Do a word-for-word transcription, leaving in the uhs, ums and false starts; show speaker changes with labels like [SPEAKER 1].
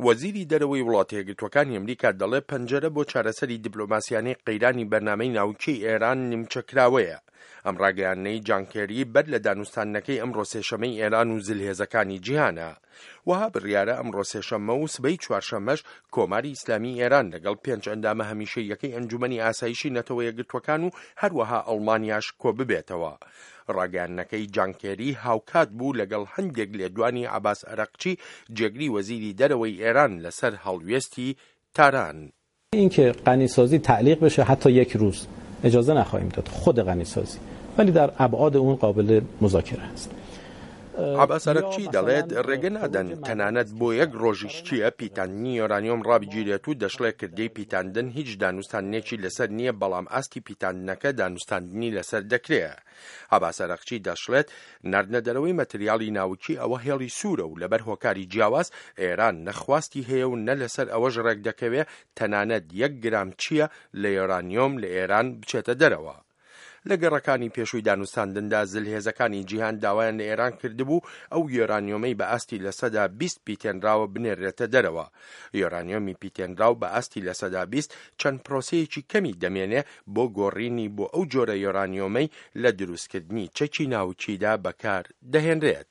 [SPEAKER 1] وەزیری دەرەوەی وڵاتە یەکگرتووەکانی ئەمریکا دەڵێ پەنجەرە بۆ چارەسەری دیپلۆماسیانەی قەیرانی بەرنامەی ناوکیی ئێران نیمچە کراوەیە. ئەم ڕاگەیاندنەی جان کێری بەر لە دانوستاندنەکەی ئەمڕۆ سێشەمەی ئێران و زلهێزەکانی جیهانە. وەها بڕیارە ئەمڕۆ سێشەممە و سبەی چوارشەممەش کۆماری ئیسلامی ئێران لەگەڵ پێنج ئەندامە هەمیشەییەکەی ئەنجومەنی ئاسایشی نەتەوە یەکگرتووەکان و هەروەها ئەڵمانیاش کۆببێتەوە. ڕاگەیاندنەکەی جان کێری هاوکات بوو لەگەڵ هەندێک لێدوانی عەباس ئەرەقچی جێگری وەزیری دەرەوەی ئێران لەسەر هەڵوێستی تاران.
[SPEAKER 2] اینکه غنیسازی تعلیق بشه حتی یک روز اجازه نخواهیم داد، خود غنیسازی، ولی در ابعاد اون قابل مذاکره است.
[SPEAKER 1] عەباس عەرەقچی دەڵێت ڕێگە نادەن تەنانەت بۆ یەک ڕۆژیش چییە پیتاندنی یۆرانیۆم ڕابگیرێت و دەشڵێ کردەی پیتاندن هیچ دانوستاندنێکی لەسەر نییە، بەڵام ئاستی پیتاندنەکە دانوستاندنی لەسەر دەکرێ. عەباس عەرەقچی دەشڵێت ناردنە دەرەوەی مەتریاڵی ناوکی ئەوە هێڵی سوورە و لەبەر هۆکاری جیاواز ئێران نە خواستی هەیە و نە لەسەر ئەوەش ڕێک دەکەوێ تەنانەت یەک گرام چییە لە یۆرانیۆم لە ئێران بچێتە دەرەوە. لە گەڕەکانی پێشووی دانوستاندندا زلهێزەکانی جیهان داوایان لە ئێران کردبوو ئەو یۆرانیۆمەی بە ئاستی لەسەدا بیست پیتێنراوە بنێرێتە دەرەوە. یۆرانیۆمی پیتێنراو بە ئاستی لەسەدا بیست چەند پرۆسەیەکی کەمی دەمێنێ بۆ گۆڕینی بۆ ئەو جۆرە یۆرانیۆمەی لە دروستکردنی چەکی ناوکیدا بەکار دەهێنرێت.